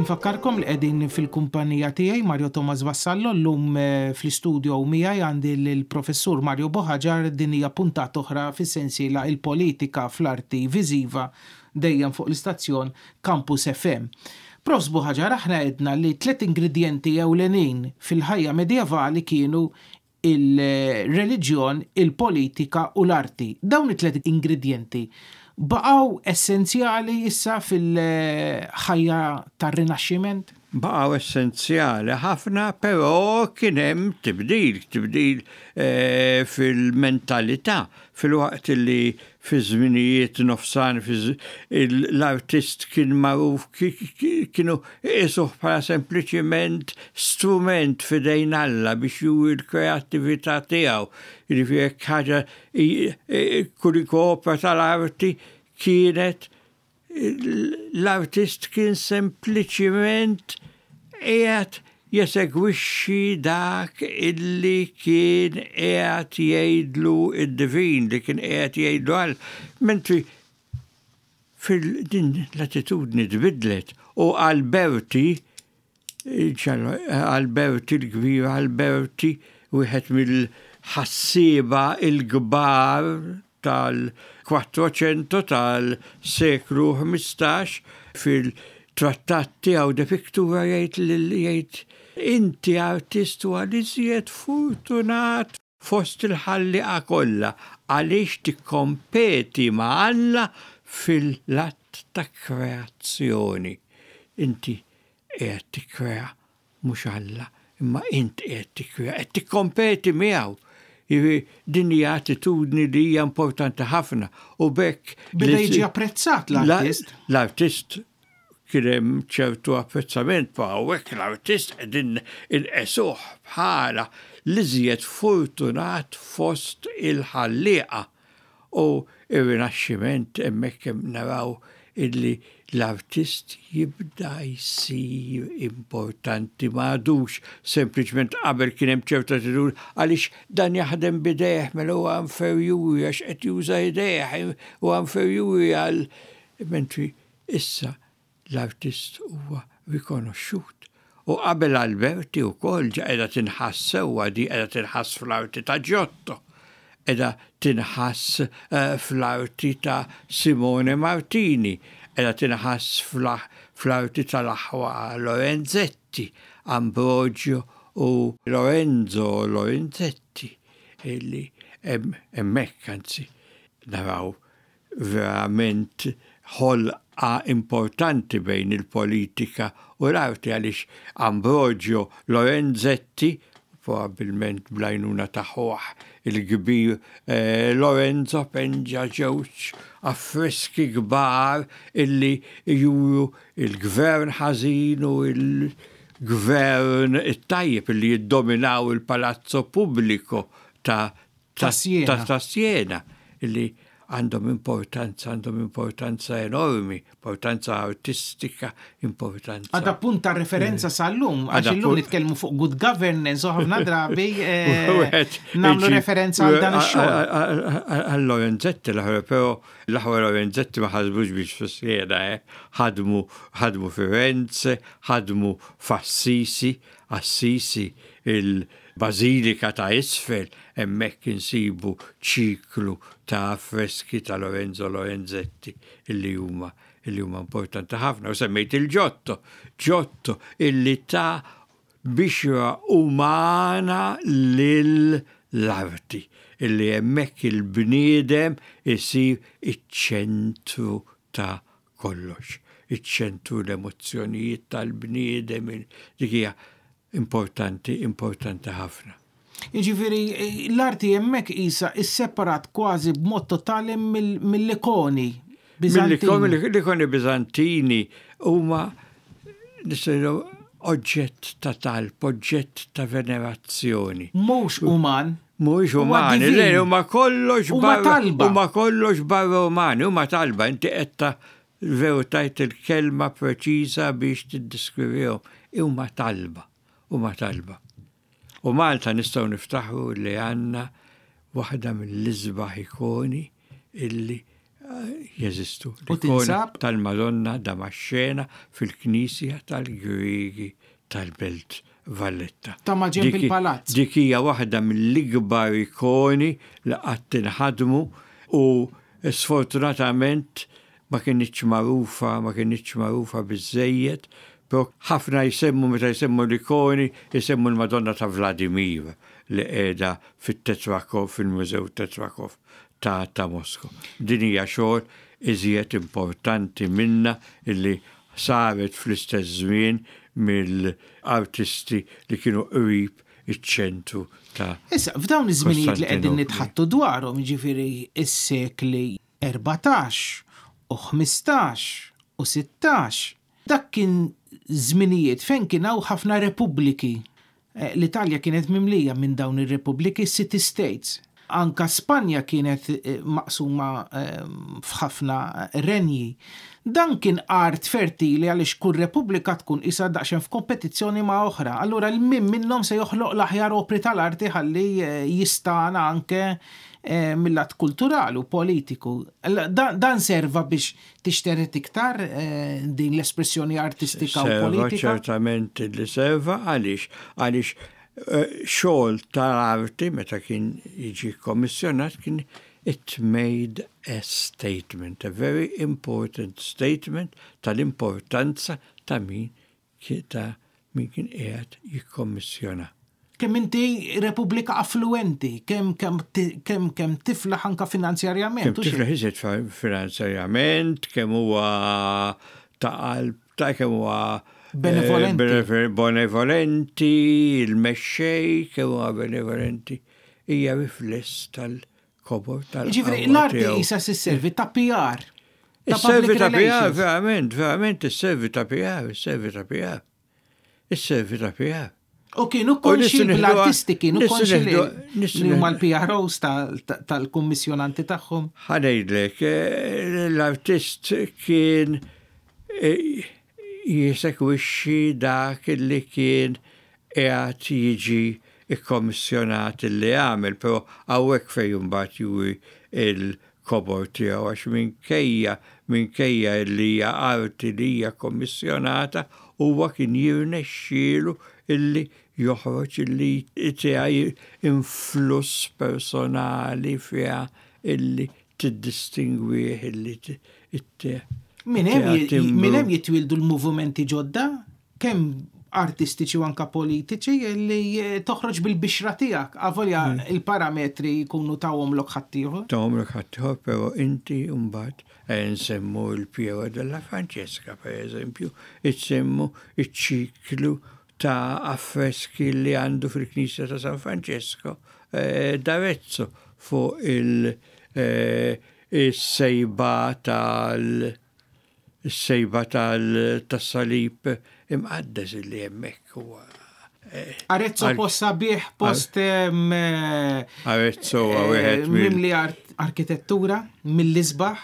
Infakkarkom li qegħdin fil-kumpanija tiegħi Mario Thomas Vassallo llum eh, fl-istudio miegħi għandi l-professur Mario Buhagiar. Din hija puntata oħra fis-sensiela Il-politika fl-arti viżiva, dejjem fuq l-istazzjon Campus F M. Profs Buhagiar, aħna għedna li tliet ingredienti ewlenin fil-ħajja medjevali kienu il-reliġjon, il-politika u l-arti. Dawn it-tliet ingredienti baqgħu essenzjali issa fil-ħajja tar-Rinaxximent? Baqgħu essenzjali ħafna, però kien hemm tibdil, tibdil eh, fil-mentalità, fil-waqt li fi żminijiet nofsan l-artist kien magħruf, kienu jqisuh bħala sempliċiment strument f'idejn Alla biex juri l-kreattività tiegħu. Jiġifieri jekk ħaġa, kull opera tal-arti kienet, l-artist kien sempliċiment qiegħed jesegwixxi dak illi kien qiegħed jgħidlu id-divin, li kien qiegħed jgħidlu Alla. Mentri fil-din l-attitudni tbidlet u Alberti, Alberti l-kbir, Alberti, wieħed mill-ħassieba il-kbar tal-Quattrocento, tal-seklu ħmistax, fil-trattat tiegħu De Pictura jgħid jgħid inti artist huwa l-iżjed fortunat fost il-ħallieqa kollha għaliex tikkompeti ma' Alla fil-att ta' kreazzjoni. Inti qiegħed tikkrea, mhux Alla, imma int qiegħed tikkrea, qed tikkompeti miegħu. Din hija attitudni li hija importanti ħafna u b'hekk Beda jiġi apprezzat l-artist. L-artist kien hemm ċertu apprezzament, pa hawnhekk l-artist qegħdin inqisuh bħala l-iżjed fortunat fost il-ħallieqa. U ir-Rinaxximent, hemmhekk hemm naraw illi l-artist jibda jsir importanti, m'għadux sempliċement. Qabel kien hemm ċerta attitudni, għaliex dan jaħdem b'idejh, mela huwa inferjuri għax qed juża idejh, huwa inferjuri għal, mentri issa l-artist huwa rikonoxxut. U qabel Alberti wkoll ġa qiegħda tinħass sewwa di, qiegħda tinħass fl-arti ta' Giotto, qiegħda tinħass eh, fl-arti ta' Simone Martini, qiegħda tinħass fl-arti tal-aħwa Lorenzetti, Ambrogio u Lorenzo Lorenzetti, illi hemmhekk anzi naraw verament ħolqa importanti bejn il-politika u l-arti, għaliex Ambrogio Lorenzetti, probabilment bl-għajnuna ta' ħuh il-kbir eh, Lorenzo, penġa ġewġ affreski kbar illi juru il-gvern ħażin u il-gvern it-tajjeb illi jiddominaw il-Palazzo Pubblico ta' ta' Siena. Ta' ta' Siena, illi għandhom importanza, għandhom importanza enormi, importanza artistika, importanza. Għadha punt ta' referenza sal-lum, għax Għadha illum punt- nitkellmu fuq good governance u ħafna drabi eh, Wieħed nagħmlu iġi- referenza għal dan ix-xogħol. Għal Lorenzetti l-aħħar, però l-aħħar Lorenzetti ma ħadmux biss fi Siena, eh. ħadmu ħadmu Firenze, ħadmu f'Assisi, Assisi il-Bazilika ta' Isfel, hemmhekk insibu ċiklu ta' affreski ta' Lorenzo Lorenzetti illi huma illi huma importanti ħafna. U semmejt il-Giotto, Giotto illi ta bixra umana lill-arti, illi hemmhekk il-bniedem isir iċ-ċentru ta' kollox, iċ-ċentru l-emozzjonijiet tal-bniedem, dik hija importanti, importanti ħafna. Jiġifieri l-arti hemmhekk isa isseparat kważi b'mod totali mill- mill-ikoni Biżantini. Mill-ikoni Biżantini huma nistgħu oġġett ta' talb, oġġett ta' venerazzjoni. Mhux uman. Mhux Huwa umani, divin. le, huma kollox Huma barra, talba. huma kollox barra umani, huma talba, inti qed ta' veru tajt il-kelma preċiża biex tiddiskrivihom. Huma talba, huma talba. U Malta nistgħu niftaħru li għandna waħda mill-isbaħ ikoni illi Jeżistu. U tinsab? Tal-Madonna Damaxxena fil-Knisja tal-Griegi tal-Belt Valletta. Ta' maġenb Dik- il-palazz. Dik hija waħda mill-ikbar ikoni li qatt inħadmu u sfortunatament ma kienitx magħrufa, ma kienitx magħrufa biżejjed, però ħafna jsemmu meta jsemmu l-ikoni, jsemmu l-Madonna ta' Vladimir li qiegħda fit-Tetrakov, fil-Mużew Tetrakov ta' ta' Mosku. Din hija xogħol iżjed importanti minna illi saret fl-istess żmien mill-artisti li kienu qrib iċ-ċentru ta' Issa, f'dawn iż-żminijiet li qegħdin Kostantinopli. nitħattu dwarhom, jiġifieri is-sekli erbatax u ħmistax u sittax, dak kien żminijiet fejn kien hawn ħafna repubbliki. Eh, L-Italja kienet mimlija minn dawn ir-repubbliki, city states. Anka Spanja kienet eh, maqsuma eh, f'ħafna renji. Dan kien art fertili għaliex kull repubblika tkun isa daqsxejn f'kompetizzjoni ma' oħra. Allura l-min minnhom se joħloq l-aħjar opri tal-arti ħalli eh, jistana anke eh, mill-lat kulturali u politiku. Alla, Dan, dan serva biex tixteret iktar eh, din l-espressjoni artistika u Serva politika. Ċertament li serva. Għaliex għaliex eh, xogħol tal-arti meta kien jiġi kommissjonat kien it made a statement, a very important statement tal-importanza ta' min ki- ta' min kien qiegħed jikkommissjona. Kemm inti repubblika affluenti, kemm kemm ti- kemm kemm tiflaħ anka finanzjarjament. Kemm u xejn. tiflaħ iżjed fa- finanzjarjament, kemm huwa ta' qalb, ta' kemm huwa eh, Benevolenti. benevo- benevolenti, il-mexxej, kemm huwa benevolenti. Hija rifless tal-kobor tal Ġifieri, l-arti isa sisservi ta' P R. Ta' Is-servi public ta' P R, relations. Verament, verament, is-servi ta' P R, is-servi ta' P R. Is-servi ta' P R. U kienu U konxi nistgħu nieħduha- l-artisti kienu nistgħu konxi li nieħdu- nistgħu li huma nieħdu- l-P R Os tal- tal- tal-kummissjonanti tagħhom. Ħa ngħidlek, eh, l-artist kien eh, jesegwixxi dak li kien qiegħed jiġi ikkommissjonat li għamel, però hawnhekk fejn mbagħad juri il-kobor tiegħu, għax minkejja minkejja li hija arti li hija kommissjonata, huwa kien jirnexxielu illi joħroġ illi tiegħi influss personali fiha illi tiddistingwih illi it Min hemm tiegħha ji- timbru. min hemm jitwildu l-movimenti ġodda, kemm artistiċi u anka politiċi, li eh, toħroġ bil-bixra tiegħek, avolja Mm. il-parametri jkunu tawhomlok ħaddieħor. Tawhomlok ħaddieħor, però inti mbagħad eh, nsemmu il-Piero della Francesca, per eżempju, nsemmu il-ċiklu ta' affreski li għandu fil-Knisja ta' San Francesco eh, d'Arezzo fuq il- eh, il-sejba tal- il-sejba tal- tas-salib imqaddes li hemmhekk huwa. eh, Arezzo Ar- post sabiħ, post em, eh, Arezzo huwa eh, wieħed mill- mimli art- arkitettura, mill-isbaħ.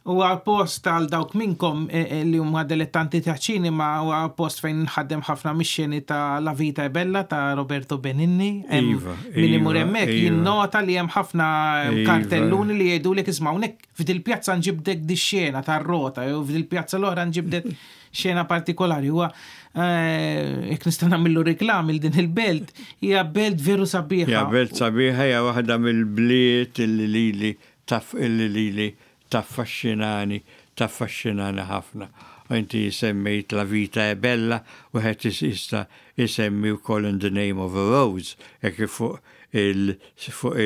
U post għal dawk minnkom eh, eh, li huma dilettanti ta' ċinema, u post fejn nħaddem ħafna mix-xeni ta' La Vita è Bella ta' Roberto Benigni. Hemm Iva, min imur iva, hemmhekk iva. jinnota li hemm ħafna Iva. kartelluni li jgħidulek, isma', hawnhekk f'dil pjazza nġibdek di xena tar-rota jew f'dil pjazza l-oħra nġibdek xena partikolari. Huwa eh, jekk nista' nagħmillu reklam il din il-belt, hija belt veru sabiħa. Ja, belt sabiħa, hija waħda mill-bliet illi lili taf illi lili taffaxxinani, taffaxxinani ħafna. U inti semmejt La Vita è Bella, u għed jista jisemmi wkoll In the Name of a Rose, jekk fuq il fuq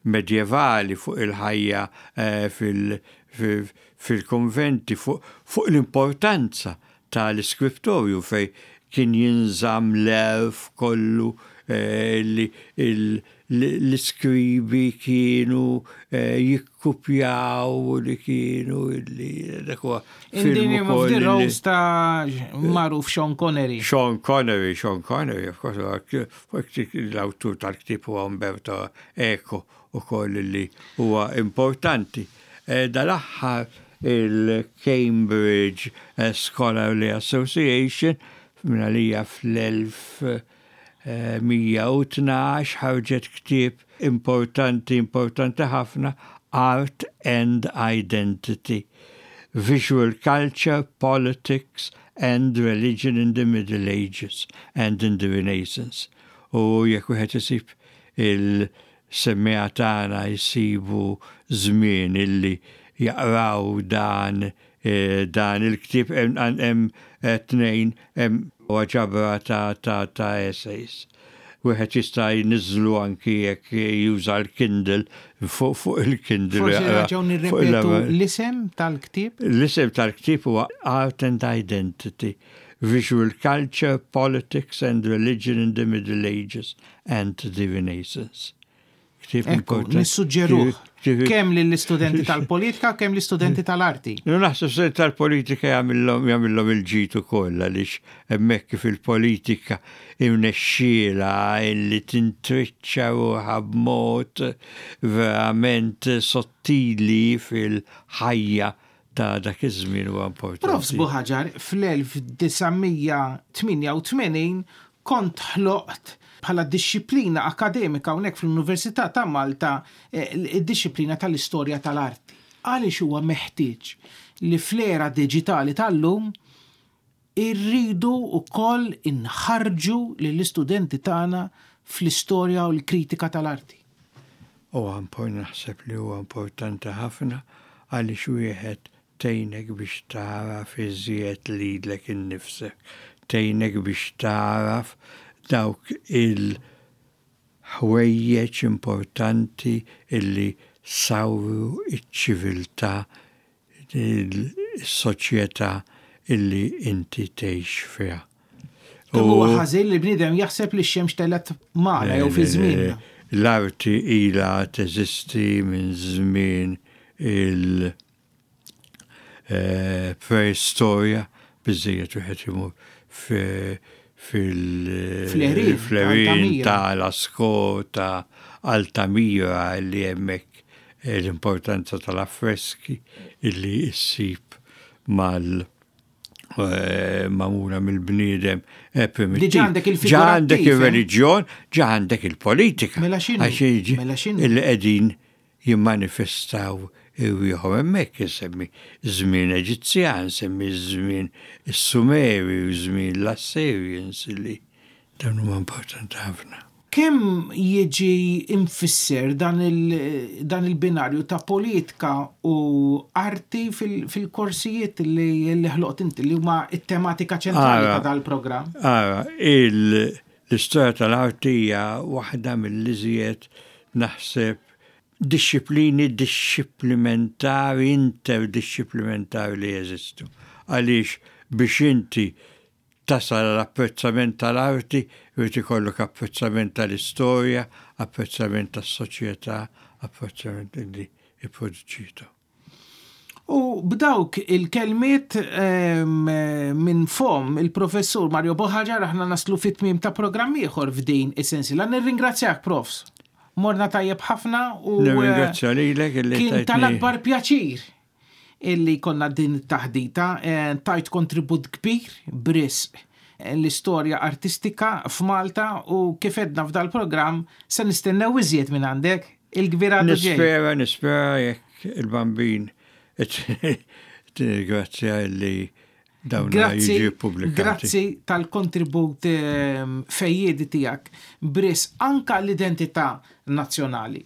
il-medjevali, fuq il-ħajja eh, fil- fil- fil-konventi, fuq fuq l-importanza tal-iskriptorju fej kien jinżamm l-għerf kollu eh, li il- l-iskribi kienu eh, jikkupjaw li kienu li dak huwa In the film Name of ukoll the li- Rose ta' magħruf Sean Connery. Sean Connery, Sean Connery, of course, l-autur tal-ktib huwa Umberto Eco u koll li huwa importanti. Eh, Dal-aħħar il-Cambridge eh, Scholarly Association minna fl-elf mija u tnax ħarġet ktieb importanti, importanti ħafna. Art and Identity, Visual Culture, Politics and Religion in the Middle Ages and in the Renaissance. U jekk wieħed isib il-semmiegħa tagħna jsibu żmien illi jaqraw dan eh, dan il-ktieb hemm eh, tnejn hemm ġabra ta' ta' ta' essays. Wieħed jista' jniżżlu anki jekk juża l-Kindle fuq fuq il-Kindle. Forsi jaqra nerġgħu fuq nirrepetu il- l-isem tal-ktieb. L-isem tal-ktieb huwa Art and Identity, Visual Culture, Politics and Religion in the Middle Ages and the Renaissance. Ktieb Ekku, importanti. nissuġġeruh Ktieb- kemm lill-istudenti tal-politika, kemm l-istudenti tal-arti. No, naħseb se tal-politika jagħmilhom jagħmilhom il-ġid ukoll għaliex hemmhekk kif il-politika imnexxiela illi tintriċċa ruħha b'mod verament sottili fil-ħajja ta' dak iż-żmien huwa importanti. Profs Buhaġar, fl-elf disa' mija tmienja u tmenin kont ħloqt bħala dixxiplina akademika hawnhekk fl-Università ta' Malta eh, id-dixxiplina tal-istorja tal-arti. Għaliex huwa meħtieġ li fl-era diġitali tal-lum irridu wkoll inħarġu lill-istudenti tagħna fl-istorja u l-kritika tal-arti? Huwa impor naħseb li huwa importanti ħafna għaliex wieħed tgħinek biex tagħraf iżjed lilek innifsek, tgħinek biex tagħraf dawk il-ħwejjeġ importanti illi sawru iċ-ċiviltà, il-soċjetà illi inti tgħix fiha. Kemm huwa ħażin li bniedem jaħseb li x-xemx telgħet magħna jew fi żmienna. L-arti ila teżisti minn żmien il- eh, preistorja, biżejjed wieħed imur fil- Fl-għerien fl-għerien ta' Altamira. ta' Lascaux, ta' Altamira li hemmhekk eh, l-importanza tal-affreski illi issib mal eh, magħmula mill-bniedem eh, primittiv. Diġà għandek Ġa il-figurattiv, għandek eh? il-reliġjon, ġa għandek il-politika. Mela x'inhu? Għax jiġi- Mela x'inhu? Illi qegħdin jimmanifestaw irwieħhom hemmhekk, insemmi żmien Eġizzjan, semmi żmien is-Sumeri u żmien l-Assyrians li dawn huma importanti ħafna. Kemm jiġi imfisser dan il- dan il-binarju ta' politika u arti fil- fil-korsijiet li li ħloqt inti li huma it-tematika ċentrali Ara. ta' dal-programm? Ara, il- l-istorja tal-arti hija waħda mill-iżjed naħseb dixxiplini dixxiplimentari, interdixxiplimentari li jeżistu. Għaliex biex inti tasal l-apprezzament tal-arti, irid ikollok apprezzament tal-istorja, apprezzament tas-soċjetà, apprezzament li ipproduċitu. U b'dawk il-kelmiet em, minn fom il-professur Mario Buhagiar aħna naslu fit-tmiem ta' programm ieħor f'din is-sensiela. Nirringrazzjak, profs. Morna tajjeb ħafna u eh, Nirringrazzja lilek illi kien tajtni- tal-akbar pjaċir illi konna din it-taħdita, eh, tajt kontribut kbir b'risq eh, l-istorja artistika f'Malta u kif għedna f'dal-programm se nistennew iżjed minn għandek il-kbir għadu ġej. Nispera, nispera jekk il-bambin tirringrazzja li dawn Grazzi, jiġi pubblikati. grazzi tal-kontribut ehm, fejjiedi tiegħek b'risq anka l-identità nazzjonali.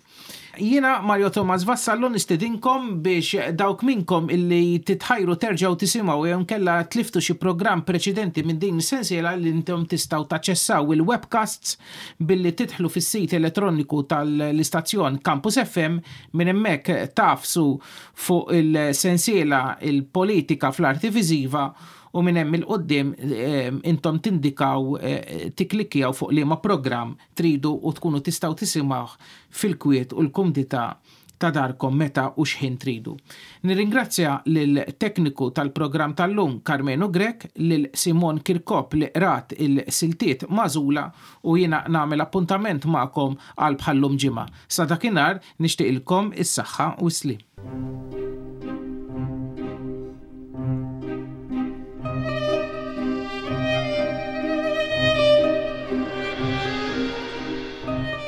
Jiena Mario Thomas Vassallo nistedinkom biex dawk minkom illi titħajru terġgħu tisimgħu jew kella tliftu xi programm preċedenti minn din is-sensiela li intom tistgħu taċċessaw il-webcasts billi tidħlu fis-sit elettroniku tal-istazzjon Campus F M. Minn hemmhekk tagħfsu fuq il-sensiela il-politika fl-arti viżiva u minn hemm 'il quddiem eh, intom tindikaw, eh, tiklikjaw fuq liema programm tridu u tkunu tistgħu tisimgħu fil-kwiet u l-kumdità ta' darkom meta u xħin tridu. Nirringrazzja lil tekniku tal-programm tal-lum Carmenu Grek, lil Simon Kirkop li qrat il-siltiet magħżula u jiena nagħmel appuntament magħkom għal bħallum ġimgħa. Sa dakinhar nixtieqilkom is-saħħa u s-slim.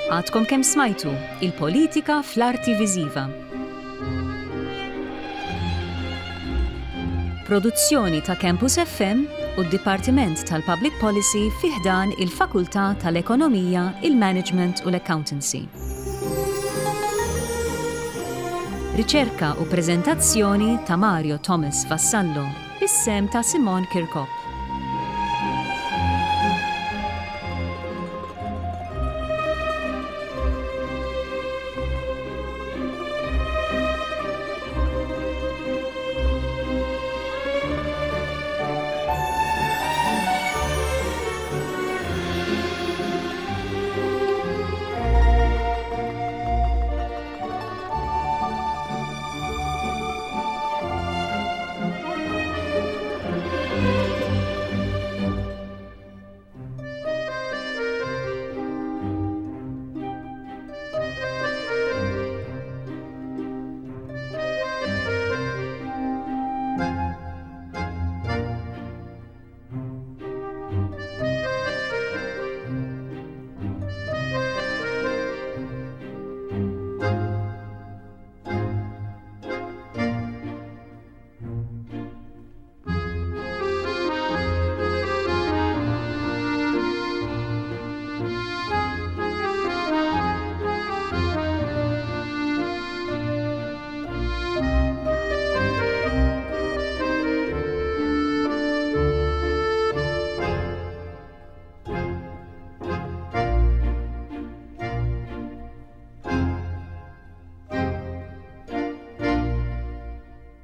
Għadkom kemm smajtu il-politika fl-arti viżiva. Produzzjoni ta' Campus F M u d-Dipartiment tal-Public Policy fi ħdan il-Fakultà tal-Ekonomija, il-Management u l-Accountancy. Riċerka u preżentazzjoni ta' Mario Thomas Vassallo, bis-sehem ta' Simon Kirkop.